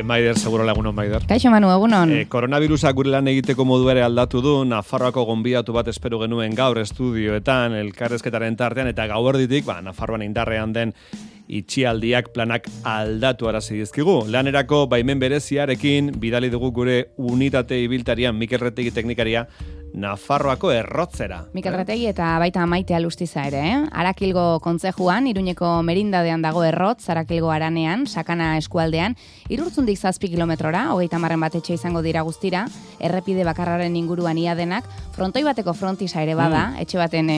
Maider, seguro lagunon, Maider. Kaixo Manu, egunon. Koronavirusak gure lan egiteko modu ere aldatu du, Nafarroako gonbidatu bat espero genuen gaur estudioetan, elkarrezketaren tartean, eta gauerditik, Nafarroan indarrean den itxialdiak planak aldatu arazi dizkigu. Lanerako baimen bereziarekin bidali dugu gure unitate ibiltarian Mikel Retegi teknikaria Nafarroako Errotzera. Mikel Retegi eta baita Maite Alustiza ere, Arakilgo kontzejuan, Iruñeko merindadean dago Errotz, Arakilgo Aranean, Sakana eskualdean, Irurtzundik 7 kilometrora, 30 bat etxe izango dira guztira, errepide bakarraren inguruan ia denak, frontoi bateko frontisa ere bada, etxe baten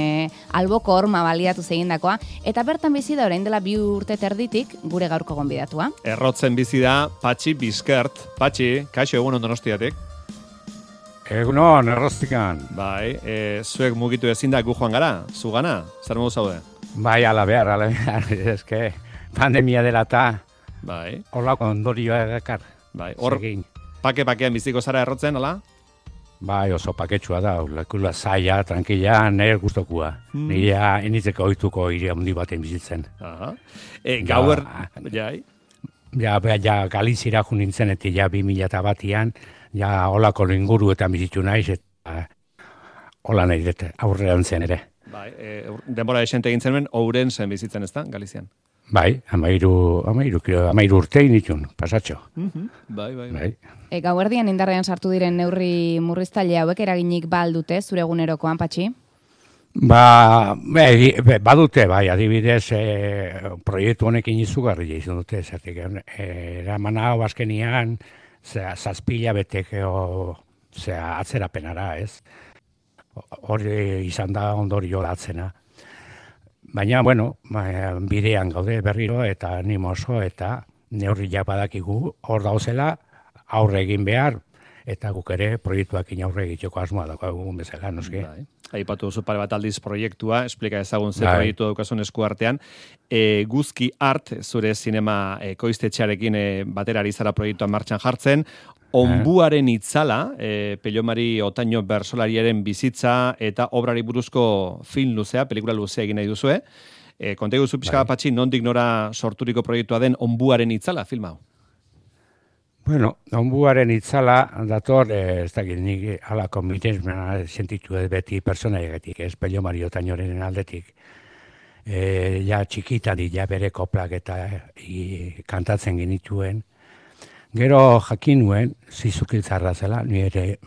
alboko horma baliatu zegindakoa, eta bertan bizi da orain dela 2 urte terditik gure gaurko gonbidatua. Errotzen bizi da Patxi Bizkert. Patxi, kaixo egunon Donostiatik. Egunon, Errostikan. Bai, zuek mugitu ezin da gu joan gara, zugana, zer modu zaude? Bai, ala behar, eske pandemia dela eta bai. Horlako ondorioa dakar. Bai, hor pake-pakean biziko zara Errotzen, ala? Bai, oso paketsua da, lekula zaila, tranquila, nire guztokua. Nirea enitzeko oituko iria handi baten bizitzen. Aha. Gauer, jai? Ja, Galizira jo nintzen, eta ja 2001an, ja olako inguru eta bizitu naiz, eta hola nahi dut aurrean zen ere. Bai, denbora esente egin zenuen, Ourensen bizitzen ez da, Galizian? Bai, 13 urtein ditun, pasatxo. Bai. Gauerdian indarrean sartu diren neurri murriztaile hauek eraginik dute zure egunerokoan, Patxi? Badute, bai, adibidez, proiektu honekin izugarria izan dute, zertik, eraman hau azkenian, 7 beteko atzerapenara, ez? Hori izan da ondorio datzena. Baina, bueno, bidean gaude berriro eta animoso eta neurriak badakigu hor dauzela aurre egin behar eta guk ere proiektuakin aurre egiteko asmoa daukagun bezala, noski. Aipatu duzu pare bat aldiz proiektua, esplika ezagun ze proiektu daukasun eskuartean. Guzki Art, zure zinema ekoiztetxearekin batera ari zara proiektuan martxan jartzen. Onbuaren itzala, Pello-Mari Otaño bertsolariaren bizitza eta obrari buruzko film luzea, pelikula luzea egin nahi duzue. Konta iguzu pixka bat, Patxi, nondik nora sorturiko proiektua den Onbuaren itzala filma hau? Bueno, Onbuaren itzala dator, ez dakit nik halako miresmena sentitu beti personaiegatik, ez Pello-Mari Otañoren aldetik. Ja txikitan ja bere koplak eta kantatzen genituen. Gero jakin nuen, zizukiltzarra zela, ni ere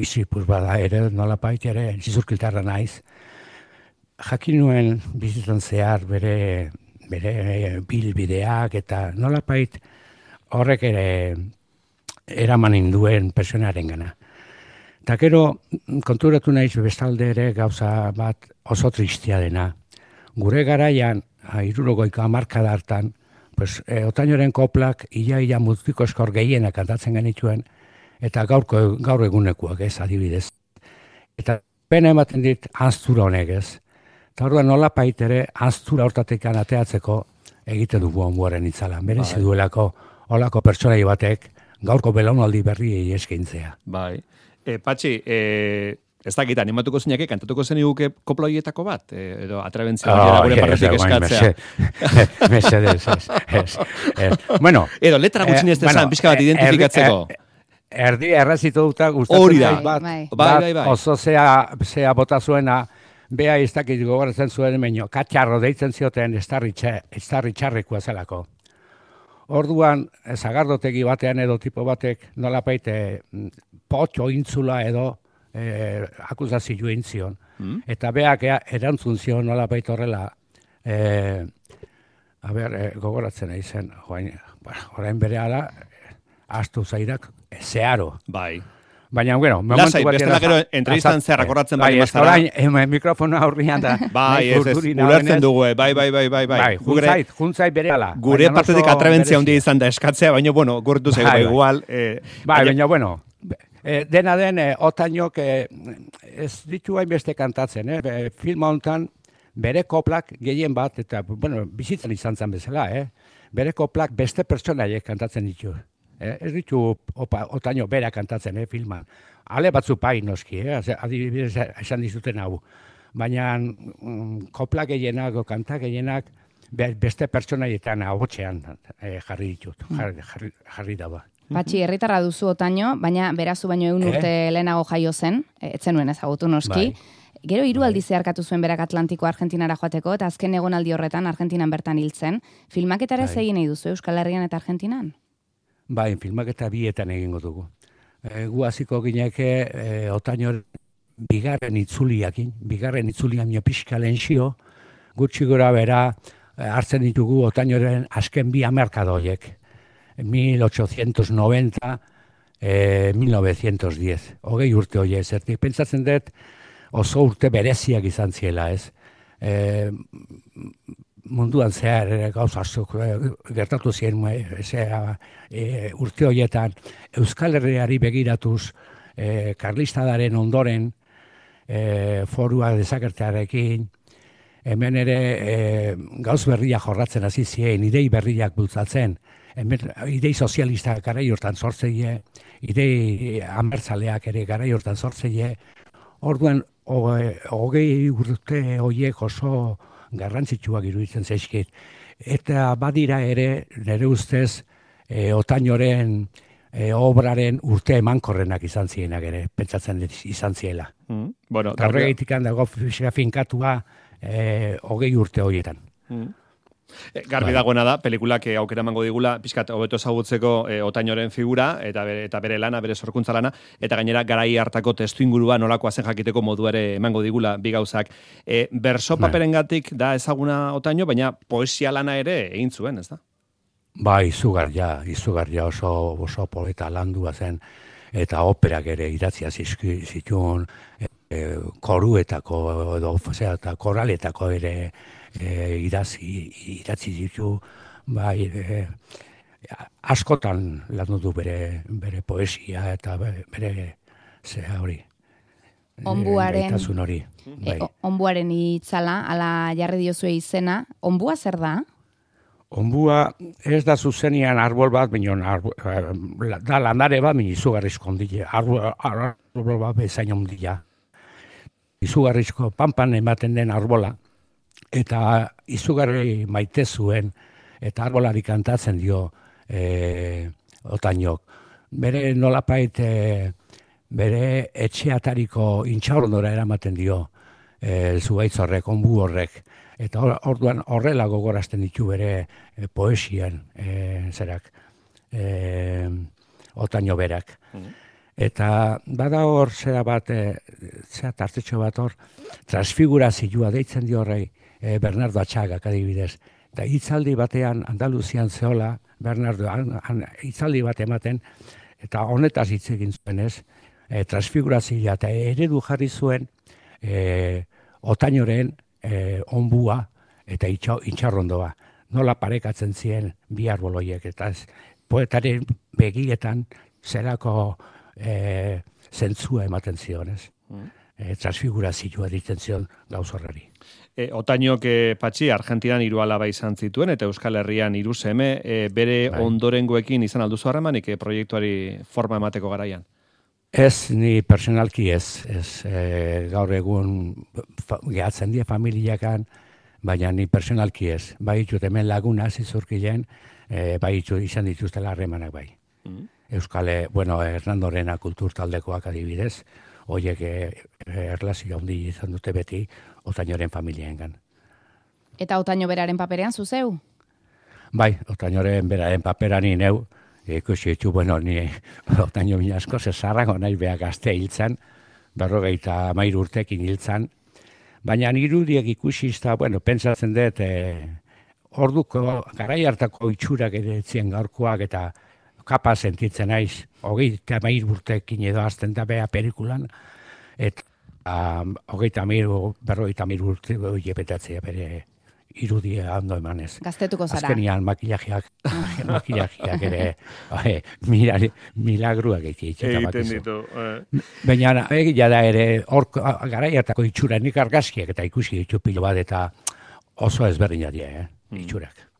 izipuz bada ere, nolapait ere, zizukiltzarra naiz. Jakin nuen bizitzen zehar bere bilbideak eta nolapait horrek ere eraman induen personaren gana. Eta gero konturatu naiz bestalde ere gauza bat oso tristia dena. Gure garaian, 70 hartan, Otañoren koplak ia multiko eskor gehienak kantatzen genituen, eta gaur egunekoak ez adibidez. Eta pena ematen dit anztura honek ez. Eta orduan nolapait ere anztura hortatik ateatzeko egite dugu Onbuaren itzala. Merezi duelako olako pertsonai batek gaurko belaunaldi berriei eskaintzea. Bai. Patxi, ez dakit, animatuko zinake, kantatuko zen iguke kopla horietako bat? Edo atrabentzia gure parretik eskatzea. Mesedez, ez. Bueno. Edo, letra gutxin ez desan, pixka bat identifikatzeko. Erdi errazitu duta gustatzen bat. Bai. Oso zea bota zuena, bea ez dakit gogoratzen zuen meño, katxarro deitzen zioten estarri txarrekoa zelako. Orduan, zagardotegi batean edo tipo batek nolapaite potxo intzula edo akusazio intzion. Eta beak erantzun zion nolapait horrela, gogoratzen aizen, orain bere ala, astu zairak, zeharo. Bai. Baina, bueno, lasai, bestela gero entrevistan zerrak horratzen bali mazara. Bai, mikrofona aurrian da. Bai, ulertzen dugu, bai. Juntzait bere ala. Gure partetik atrebentzia handia izan da eskatzea, baina, bueno, gurtu zego igual. Bai, baina, bueno, dena den, Otañok ez ditu hainbeste kantatzen, filma honetan bere koplak gehien bat, eta, bueno, bizitzen izan zen bezala, bere koplak beste pertsonaiek kantatzen ditu. Ez ditu Otaño bera kantatzen, filman. Ale batzu pai noski, adibidez esan dizuten hau. Baina koplak gehienak, kantak gehienak, beste pertsonaietan ahotxean jarri ditut, jarri daba. Patxi, herritarra duzu Otaño, baina berazu baino 100 urte lehenago jaio zen, etzenuen ezagutu noski. Gero 3 aldiz zeharkatu zuen berak Atlantiko Argentinara joateko, eta azken egonaldi horretan Argentinan bertan hiltzen. Filmaketara ez egin nahi duzu Euskal Herrian eta Argentinan? Bai, filmaketa bietan egingo dugu. Gu hasiko gineke Otaño bigarren itzulian pixka lehenzio, gutxi gora bera hartzen ditugu Otañoren azken 2 hamarkada horiek. 1890, 1910. 20 urte horiek, zertik. Pentsatzen dut oso urte bereziak izan ziela, ez? Munduan zehar gauza asko gertatu ziren urte horietan Euskal Herriari begiratuz karlistadaren ondoren forua desagertearekin hemen ere gauz berriak jorratzen hasi ziren, idei berriak bultzatzen, idei sozialistak garai hortan sortzeie, idei abertzaleak ere garai hortan sortzeie. Orduan 20 urte horiek oso garrantzitsuak iruditzen zaizkit. Eta badira ere, nire ustez, Otañoren obraren urte emankorrenak izan zienak ere, pentsatzen izan ziela. Bueno, horregaitik dago finkatua 20 urte horietan. Garbi dagoena da, pelikulak aukera emango digula, pixkat hobeto ezagutzeko Otañoren figura, eta bere lana, bere sorkuntza lana, eta gainera garai hartako testuingurua nolakoa zen jakiteko modu ere emango digula bi gauzak. Berso paperengatik da ezaguna Otaño, baina poesia lana ere egin zuen, ez da? Bai, izugarria oso poeta landua zen, eta operak ere idatzia zituen, koruetako eta koraletako ere idatzi ditu, bai, askotan landu du bere poesia eta bere hori. Onbuaren itzala, ala jarri diozue izena, onbua zer da? Onbua ez da zuzenian arbol bat, da landare bat, izugarrizko ondile, arbol bat bezain ondila. Izugarrizko panpan ematen den arbola, eta izugarri maite zuen, eta arbolari kantatzen dio Otañok. Bere nolapait, bere etxeatariko intxaurondora eramaten dio zuhaitz horrek, onbu horrek. Eta orduan horrela gogorazten ditu bere poesien Otaño berak. Eta bada hor tartetxo bat hor, transfigurazioa deitzen dio horrei, Bernardo Atxagak adibidez. Eta hitzaldi batean Andaluzian zehola, Bernardo hitzaldi bat ematen, eta honetaz hitz egin zuen ez, transfigurazioa eta eredu jarri zuen Otañoren onbua eta intxarrondoa. Nola parekatzen ziren bi arboloiek, eta poetaren begietan zelako zentzua ematen zion, ez? Transfigurazioa ditzen zion gauz horrari. Otañok Patxi, Argentinan 3 alaba izan zituen, eta Euskal Herrian 3 seme, bere ondorengoekin izan alduzu harremanik proiektuari forma emateko garaian? Ez, ni personalki ez. Gaur egun gehatzen die familiakan, baina ni personalki ez. Bai ditut hemen laguna zizurkilen, bai izan dituztela harremanak bai. Hernandorena kulturtaldekoak adibidez, horiek erlazio handi izan dute beti Otañoren familiaengan. Eta Otaño beraren paperean zuzeu? Bai, Otañoren beraren paperan neu, ikusi ditu, ni Otaño mina asko zezarrago nahi behar gazte hiltzan, 53 urtekin hiltzan, baina irudiek ikusi izta, pentsatzen dut, orduko garai hartako itxurak ere etzien gaurkoak eta kapaz sentitzen naiz, 23 urtekin edo azten da beha pelikulan, eta 53 urte jepetatzea bere irudia ondo emanez. Gaztetuko zara. Azkenian makillajeak ere milagruak egiten ditu. Baina egia da ere, garaiatako itxura nik argazkiak eta ikusi ditu pilo bat eta oso ezberdina dira, itxurak.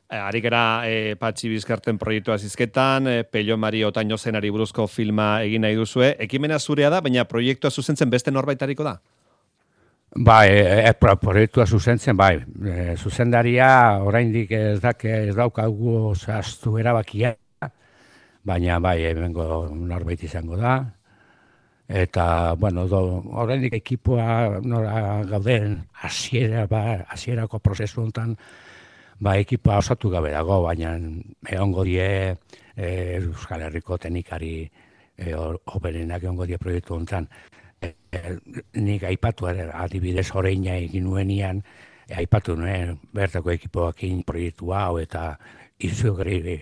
Arikera Patxi Bizkarten proiektua zizketan, Pello Mari Otaño zenari buruzko filma egin nahi duzue. Ekimena zurea da, baina proiektua zuzentzen beste norbaitariko da? Bai, proiektua zuzentzen, bai. Zuzendaria oraindik ez daukagu zehaztu erabakia, baina bai, hemengo norbait izango da. Eta, bueno, horrendik ekipoa nora gauden hasierako prozesu honetan, ekipoa osatu gabe dago, baina egongo die Euskal Herriko teknikari oberenak egongo die proiektu honetan. Nik aipatu adibidez oraina egin nuenian, aipatu nuen bertako ekipoakin proiektu hau eta izugarri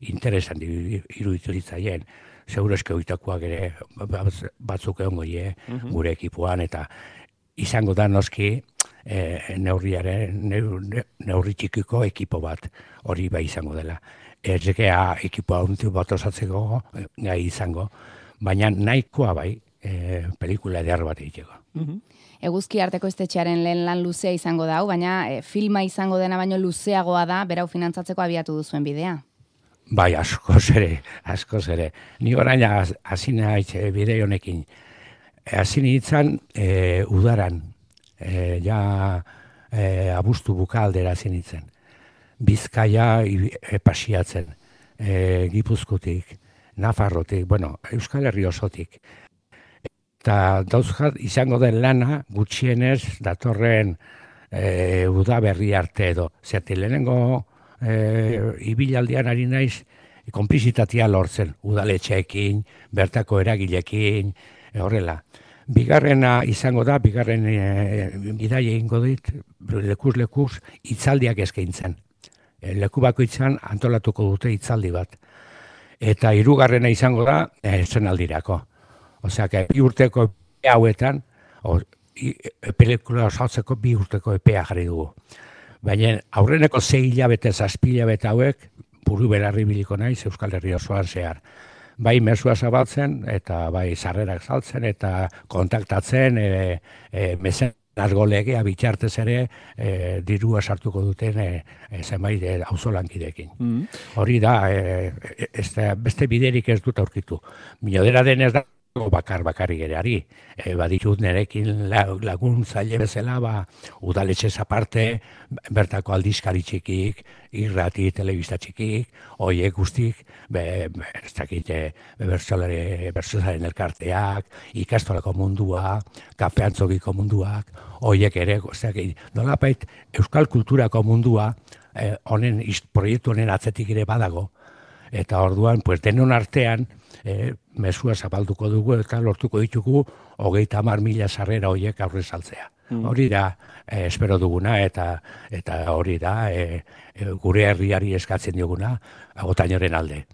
interesan iruditu ditzaien. Seguro eske oitakoak ere batzuk egongo die gure ekipoan eta izango da noski neurri txikiko ekipo bat hori bai izango dela. Ezekea ekipoa untu bat osatzeko gai izango, baina nahikoa bai pelikula eder bat egiteko. Eguzki Arteko Estetxearen lehen lan luzea izango da, baina filma izango dena baino luzeagoa da, berau finantzatzeko abiatu duzuen bidea. Bai, askoz ere. Ni orain hasi naiz bide honekin. Hasi nintzen udaran, abuztu bukaldera hasi nintzen. Bizkaia pasiatzen, Gipuzkotik, Nafarrotik, Euskal Herri osotik. Eta dauzkat izango den lana gutxienez datorren udaberri arte edo. Zerti lehenengo ibilaldian ari naiz konplizitatea lortzen, udaletxeekin, bertako eragilekin, horrela. Bigarrena izango da, bigarren bidaia egingo dit, lekuz hitzaldiak eskaintzen. Leku bakoitzan antolatuko dute hitzaldi bat. Eta hirugarrena izango da, zenaldirako. Osea, bi urteko epea hauetan, pelikula osatzeko 2 urteko epea jarri dugu. Baina aurreneko 6 hilabete, 7 hilabete hauek, buru berarri biliko naiz Euskal Herri osoan zehar. Bai mesua zabaltzen, eta bai sarrerak saltzen, eta kontaktatzen, mezenazgo legea bitartez ere dirua sartuko duten zenbait auzolankideekin. Hori da, beste biderik ez dut aurkitu. Minodera denez da, bakarri gereari. Baditut nerekin laguntzaile bezala, udaletxez aparte, bertako aldizkari txikik, irrati, telebista txikik, hoiek guztik, ez dakit, bertsolaren elkarteak, ikastolako mundua, kafeantzokiko munduak, hoiek ere, ez dakit, nolapait, euskal kulturako mundua, proiektu honen atzetik ere badago, eta orduan, denon artean, mesua zabalduko dugu eta lortuko ditugu 30.000 sarrera horiek aurre saltzea. Hori da, espero duguna eta hori da, gure herriari eskatzen dioguna, Agotainoren alde.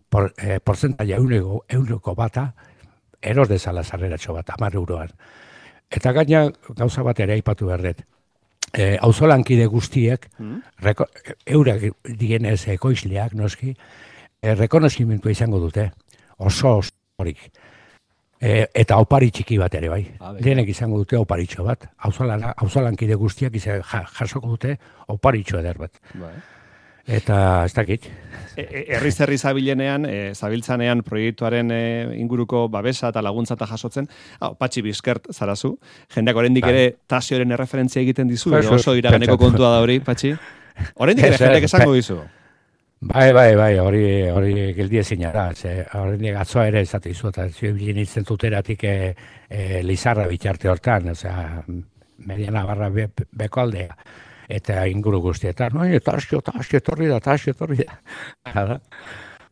Portzentaia euneko bata, eros dezala sarreratxo bat, 10 euroan. Eta gaina gauza bat ere aipatu berdet. Auzolankide guztiek, eurak dienez ekoizleak, noski, rekonozimentua izango dute, oso horik. Eta opari txiki bat ere, bai. Denek izango dute oparitxo bat. Auzolankide guztiak jasoko dute oparitxo eder bat. Eta ez dakit. Herri zabiltzanean proiektuaren inguruko babesa eta laguntza eta jasotzen, Patxi Bizkert zarazu, jendeak oraindik ere Tasioren erreferentzia egiten dizu, oso iraganeko kontua da hori, Patxi? Oraindik ere jendeak esango dizu? Bai, hori geldi ezina da. Horrendik atzoa ere ezate izu, eta zuen nintzen tuteratik Lizarra bitarte hortan, Mediana barra beko aldea, eta inguru guztietan, Tasio etorri da.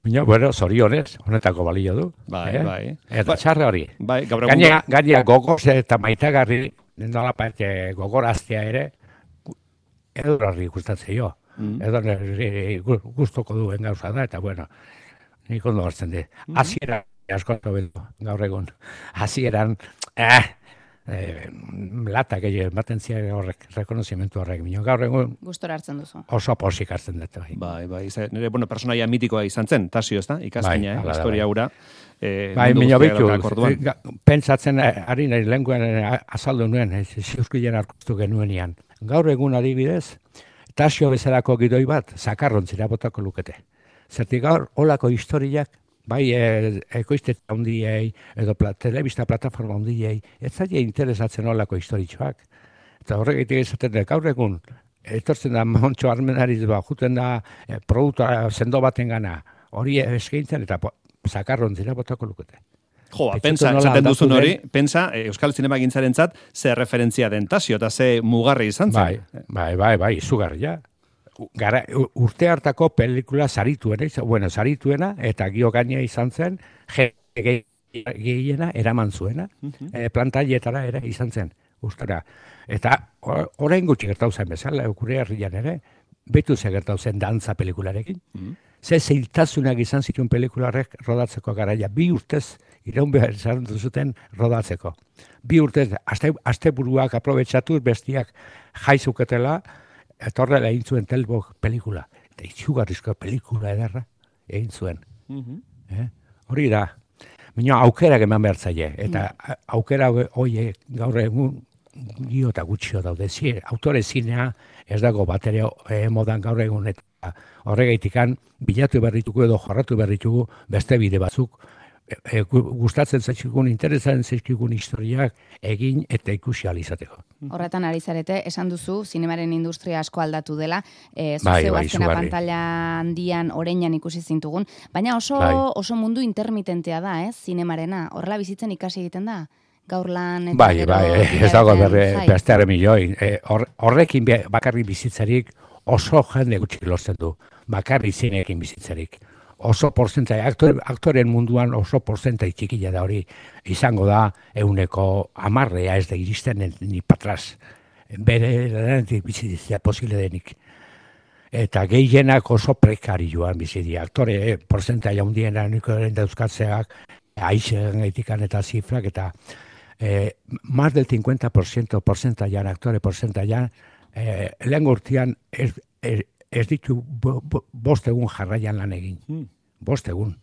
Baina, bueno, zorionez, honetako balio du. Bai. Eta txarra hori. Gainera gogoz eta maitagarri, nolapait gogoraztea ere, edurarri gustatzen jo. Edo guztoko duen gauza da, eta bueno, nik ondo hartzen dut. Hasieran, askotu bedu, gaur egun, hasieran, latak ematen ziren horrek, rekonozimentu horrek, gaur egun, gustora hartzen duzu. Oso posik hartzen dut. Bai, nire, personaia mitikoa izan zen, Tasio, ez da? Ikaskina, historia hura. Bai, minio bitu, pentsatzen, ari nahi lenguen azaldu nuen, ziuzkilen hartu genuenian. Gaur egun adibidez, Tasio bezalako gidoi bat, zakarrontzira botako lukete. Zertik gaur, olako historiak, bai ekoiztetza hundiei, edo telebista plataforma hundiei, ez zaila interesatzen olako historitxoak. Eta horregatik izaten gaur egun, etortzen da Montxo Armenariz juten da produktua sendo baten gana, hori eskaintzen eta zakarrontzira botako lukete. Jo, pensa, esaten duzun hori, pensa, Euskal Zinema Gintzarentzat ze referentzia den Tasio, eta ze mugarri izan zen. Bai, izugarria. Urte hartako pelikula sarituena, eta gio gainea izan zen, gehiena eraman zuena, plantaietara ere izan zen, ustera. Eta orain gutxi gertau zen bezala, gure herrian ere, betu ze gertau zen dantza pelikularekin. Ze zeiltasunak izan zituen pelikularrek rodatzeko garaia, 2 urtez iraun behar izan zuten rodatzeko. 2 urtez, asteburuak aprobetxatuz bestiak jaizuketela, etorrela egin zuen Telbok pelikula. Eta itxugarrizko pelikula ederra egin zuen. Hori da, minua aukerak eman behar zaie, eta aukera hori gaur egun gio eta gutxio daude. Autore zinea ez dago batere modan gaur egun, eta horregaitikan bilatu berritugu edo jorratu berritugu beste bide batzuk, gustatzen zaizkigun, interesaren zaizkigun historiak egin eta ikusi alizateko. Horretan ari zarete, esan duzu, zinemaren industria asko aldatu dela, zuzeu azkena pantalla handian, oreinan ikusi zintugun, baina oso mundu intermitentea da, zinemarena, horrela bizitzen ikasi egiten da? Gaur lan eta gero... Ez dago beste milioi. Horrekin bakarri bizitzarik oso jende gutxik lortzen du. Bakarri zineekin bizitzarik. Oso porzentai, aktoren munduan oso porzentai txikila da hori. Izango da 110 ez da iristen ni patraz. Bere lanetik bizitzea posible denik. Eta gehienak oso prekarioan bizitzea. Aktore porzentai handiena niko dauzkatzeak, aixen gaitikan eta zifrak eta más del 50% porcentaian, aktore porcentaian, lehen urtean ez ditu 5 egun jarraian lan egin. 5 egun.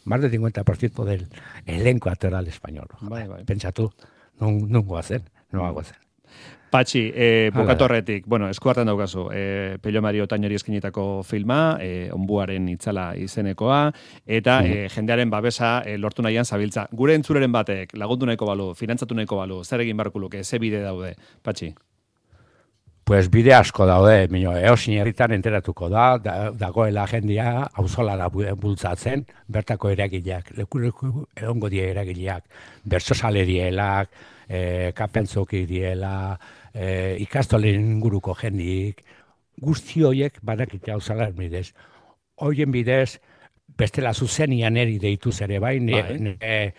Más del 50% del elenco actoral español. Pentsatu, nungoa zen. Patxi, bukatorretik, eskuartan daukazu, Pello Mari Otañori eskinitako filma, onbuaren itzala izenekoa, eta jendearen babesa lortu nahian zabiltza. Gure entzuleren batek, lagundu nahiko balu, finantzatu nahiko balu, zer egin barko luke, ze bide daude, Patxi? Pues bide asko daude, eosin herritan enteratuko dagoela jendia, auzolara bultzatzen, bertako eragileak, leku egongo die eragileak, bertsozale dielak, kapentzoki diela, ikastolen inguruko jendik, guzti horiek badakite auzolaren bidez. Horien bidez, bestela zuzenian eri deituz ere bai, nire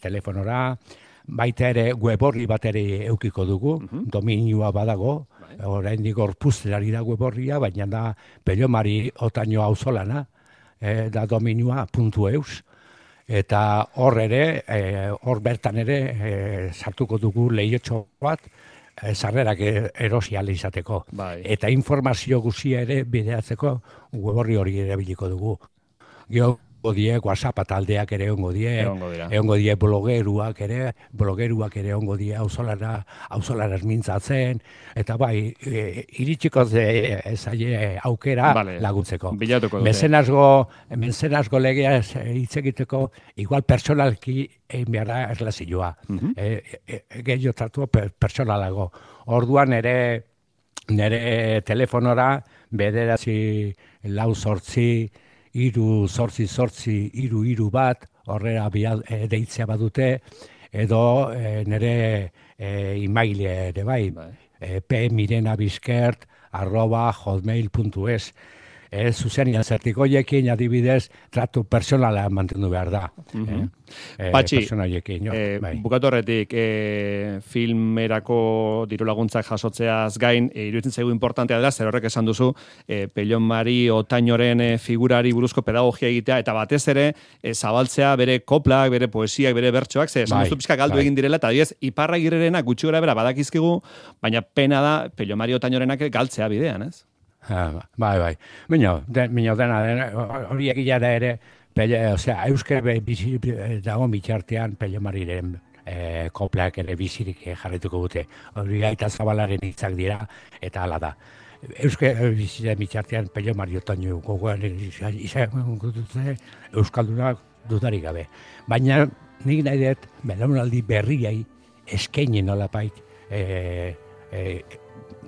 telefonora, baita ere web horri bat ere eukiko dugu, dominioa badago, oraindik gorpuztelari da web horria, baina da Pello Mari Otaño auzolana, da dominioa.eus, eta hor ere, hor bertan ere sartuko dugu lehiotxo bat, sarrerak erosi ahal izateko. Eta informazio guztia ere bideatzeko web hori erabiliko dugu. WhatsApp taldeak ere egongo die blogeruak ere egongo die auzolaraz mintzatzen, eta bai, iritsiko zaie aukera laguntzeko. Mezenazgo legea hitz egiteko, igual personalki egin behar da erlazioa. Gehiago tratu personalago. Orduan nire telefonora, 948 3 bat, horrela deitzea badute, edo nire emaile ere bai, pmirenabiskert@hotmail.es. Zuzenean zertikoiekin adibidez, tratu personala mantendu behar da. Patxi, bukatorretik, filmerako diru laguntzak jasotzeaz gain, iruditzen zaigu importantea dela, zer horrek esan duzu, Pello Mari Otañoren figurari buruzko pedagogia egitea, eta batez ere, zabaltzea bere koplak, bere poesiak, bere bertsoak, esan duzu pixka galdu egin direla, eta diez, Iparragirerenak gutxi gora bera badakizkigu, baina pena da Pello Mari Otañorenak galtzea bidean, ez? Bai. Mino dena, hori egia da ere, euskara dago bitxartean Pello Mariren koplak ere bizirik jarrituko dute. Hori Aita Zabalaren hitzak dira, eta hala da. Euskara bitxartean Pello Mari Otaño gogoaren izango dute euskaldunak dudarik gabe. Baina nik nahi dut, belaunaldi berriai eskaini nolapait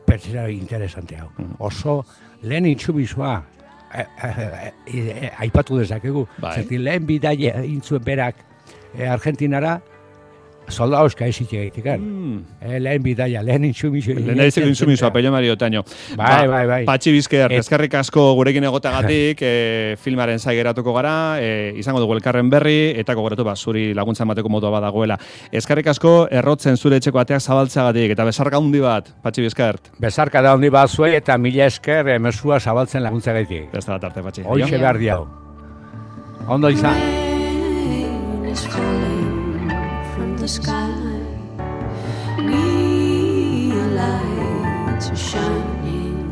pertsera interesante hau. Oso lehen intsumisua aipatu dezakegu. Zerti lehen bidaia intzuen berak Argentinara, soldauzka ezik egitik, lehen bidaia, lehen intsumisua. Lehen aizeko intsumisua, Pello Mario Otaño. Bai. Patxi Bizker, eskerrik asko gurekin egotagatik, filmaren zai geratuko gara, izango dugu elkarren berri, eta gogoratu zuri laguntza emateko modua badagoela. Eskerrik asko, errotzen zure etxeko ateak zabaltzagatik, eta besarka handi bat, Patxi Bizker. Besarka da handi bat zuei, eta mila esker mesua zabaltzen laguntzagatik. Beste bat arte, Patxi. Hoixe behar diau. Ondo izan. The sky, neon lights are shining,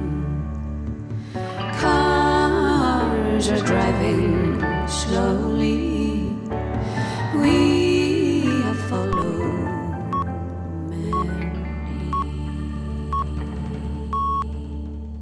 cars are driving slowly. We